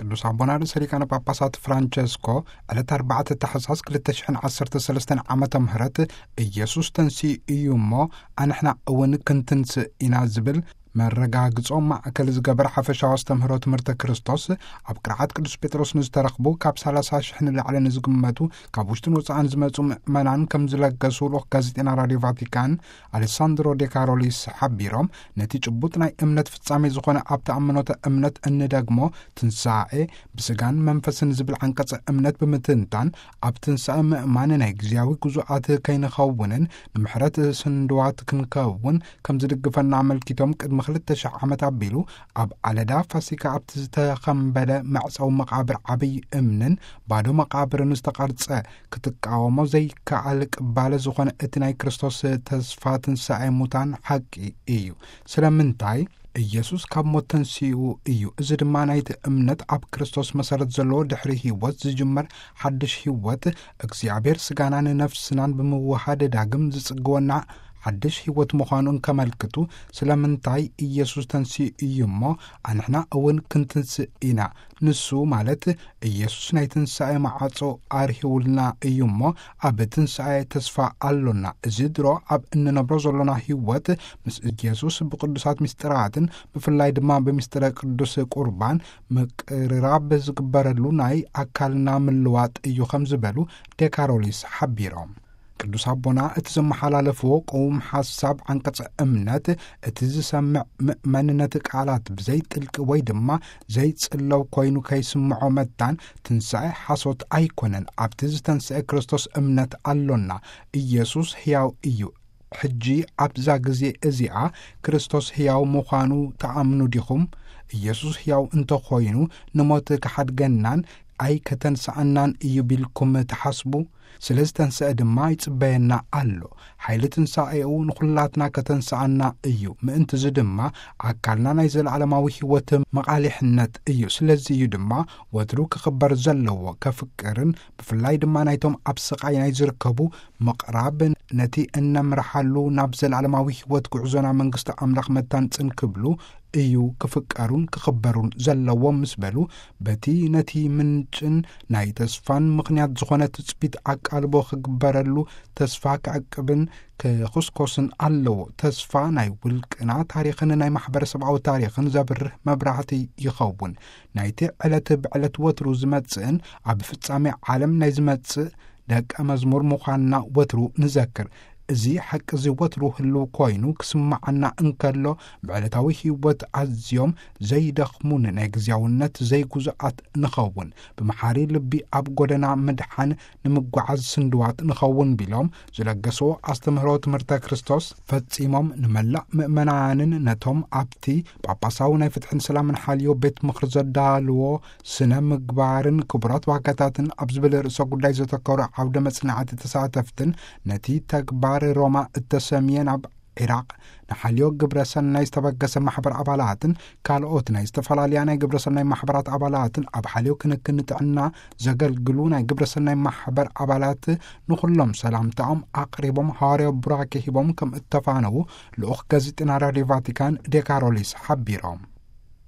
ቅዱስ ኣቦና ርእሰ ሊቃነ ጳጳሳት ፍራንቸስኮ ዕለት ኣርባዕተ ታሕሳስ ክልተ ሽሕን ዓሰርተ ሰለስተን ዓመተ ምህረት፣ ኢየሱስ ተንሲኡ እዩ እሞ፣ ኣንሕና እውን ክንትንስእ ኢና ዝብል መረጋግጾ ማእከል ዝገበረ ሓፈሻዊ ኣስተምህሮ ትምህርተ ክርስቶስ፣ ኣብ ቅርዓት ቅዱስ ጴጥሮስ ንዝተረኽቡ ካብ ሰላሳ ሽሕ ንላዕሊ ንዝግመቱ ካብ ውሽጥን ወጻእን ዝመጹ ምእመናን ከም ዝለገሱ ልኡኽ ጋዜጠና ራድዮ ቫቲካን ኣሌሳንድሮ ዴካሮሊስ ሓቢሮም፣ ነቲ ጭቡጥ ናይ እምነት ፍጻሜ ዝኾነ ኣብ ተኣምኖተ እምነት እንደግሞ ትንሳኤ ብስጋን መንፈስን ዝብል ዓንቀጸ እምነት ብምትንታን፣ ኣብ ትንሳኤ ምእማን ናይ ግዜያዊ ጉዙኣት ከይንኸውንን ንምሕረት ስንድዋት ክንከውን ከም ዝድግፈና ኣመልኪቶም፣ ቅድሚ ክልተ ሽሕ ዓመት ኣቢሉ ኣብ ዓለዳ ፋሲካ ኣብቲ ዝተኸምበለ መዕጸዊ መቓብር ዓብይ እምንን ባዶ መቓብርን ዝተቐርጸ ክትቃወሞ ዘይከኣል ቅባለ ዝኾነ እቲ ናይ ክርስቶስ ተስፋ ትንሳኤ ሙታን ሓቂ እዩ። ስለምንታይ? ኢየሱስ ካብ ሞት ተንሲኡ እዩ። እዚ ድማ ናይቲ እምነት ኣብ ክርስቶስ መሰረት ዘለዎ ድሕሪ ህይወት ዝጅመር ሓድሽ ህይወት፣ እግዚኣብሔር ስጋናን ነፍስናን ብምውሃድ ዳግም ዝጽግወና ሓድሽ ህይወት ምዃኑ እንከመልክቱ፣ ስለምንታይ ኢየሱስ ተንሲኡ እዩ እሞ፣ ኣንሕና እውን ክንትንስእ ኢና። ንሱ ማለት ኢየሱስ ናይ ትንሳኤ መዓጾ ኣርሂውልና እዩ እሞ፣ ኣብ ትንሳኤ ተስፋ ኣሎና። እዚ ድሮ ኣብ እንነብሮ ዘሎና ህይወት ምስ ኢየሱስ ብቅዱሳት ምስጢራትን ብፍላይ ድማ ብምስጢረ ቅዱስ ቁርባን ምቅርራብ ዝግበረሉ ናይ ኣካልና ምልዋጥ እዩ ከም ዝበሉ ዴካሮሊስ ሓቢሮም። ቅዱስ ኣቦና እቲ ዘመሓላለፍዎ ቅዉም ሓሳብ ዓንቀጸ እምነት፣ እቲ ዝሰምዕ ምእመን ነቲ ቃላት ብዘይ ጥልቂ ወይ ድማ ዘይጽለው ኮይኑ ከይስምዖ መታን፣ ትንሳኤ ሓሶት ኣይኮነን። ኣብቲ ዝተንስአ ክርስቶስ እምነት ኣሎና። ኢየሱስ ሕያው እዩ። ሕጂ ኣብዛ ግዜ እዚኣ ክርስቶስ ሕያው ምዃኑ ትኣምኑ ዲኹም? ኢየሱስ ሕያው እንተኾይኑ ንሞት ክሓድገናን ኣይከተንስኣናን እዩ ቢልኩም ትሓስቡ? ስለ ዝተንስአ ድማ ይጽበየና ኣሎ። ሓይሊ ትንሳኤኡ ንኹላትና ከተንስኣና እዩ። ምእንቲ እዚ ድማ ኣካልና ናይ ዘለዓለማዊ ሕይወት መቓሊሕነት እዩ። ስለዚ እዩ ድማ ወትሩ ክኽበር ዘለዎ፣ ከፍቅርን ብፍላይ ድማ ናይቶም ኣብ ስቓይ ናይ ዝርከቡ ምቕራብ፣ ነቲ እነምርሓሉ ናብ ዘለዓለማዊ ሕይወት ጉዕዞና መንግስቲ ኣምላኽ መታንጽን ክብሉ እዩ ክፍቀሩን ክኽበሩን ዘለዎም ምስ በሉ፣ በቲ ነቲ ምንጭን ናይ ተስፋን ምኽንያት ዝኾነ ትጽቢት ኣቃልቦ ክግበረሉ ተስፋ ክዕቅብን ክኹስኮስን ኣለዎ። ተስፋ ናይ ውልቅና ታሪኽን ናይ ማሕበረሰባዊ ታሪኽን ዘብርህ መብራህቲ ይኸውን። ናይቲ ዕለት ብዕለት ወትሩ ዝመጽእን ኣብ ፍጻሜ ዓለም ናይ ዝመጽእ ደቀ መዝሙር ምዃንና ወትሩ ንዘክር። እዚ ሓቂ እዚ ወትሩ ህልው ኮይኑ ክስምዓና እንከሎ፣ ብዕለታዊ ህይወት ኣዝዮም ዘይደኽሙን ናይ ግዝያውነት ዘይጉዙኣት ንኸውን። ብመሓሪ ልቢ ኣብ ጎደና ምድሓን ንምጓዓዝ ስንድዋት ንኸውን ቢሎም ዝለገስዎ ኣስተምህሮ ትምህርተ ክርስቶስ ፈጺሞም፣ ንመላእ ምእመናንን ነቶም ኣብቲ ጳጳሳዊ ናይ ፍትሕን ሰላምን ሓልዮ ቤት ምኽሪ ዘዳልዎ ስነ ምግባርን ክቡራት ዋጋታትን ኣብ ዝብል ርእሰ ጉዳይ ዘተኮረ ዓውደ መጽናዕቲ ተሳተፍትን፣ ነቲ ተግባር ሮማ እተሰምየ ናብ ዒራቕ ንሓልዮ ግብረ ሰናይ ዝተበገሰ ማሕበር ኣባላትን ካልኦት ናይ ዝተፈላለያ ናይ ግብረ ሰናይ ማሕበራት ኣባላትን ኣብ ሓልዮ ክንክን ጥዕና ዘገልግሉ ናይ ግብረ ሰናይ ማሕበር ኣባላት ንኹሎም ሰላምታኦም ኣቕሪቦም፣ ሃዋርያዊ ቡራኬ ሂቦም ከም እተፋነዉ ልኡኽ ጋዜጠና ራድዮ ቫቲካን ዴካሮሊስ ሓቢሮም።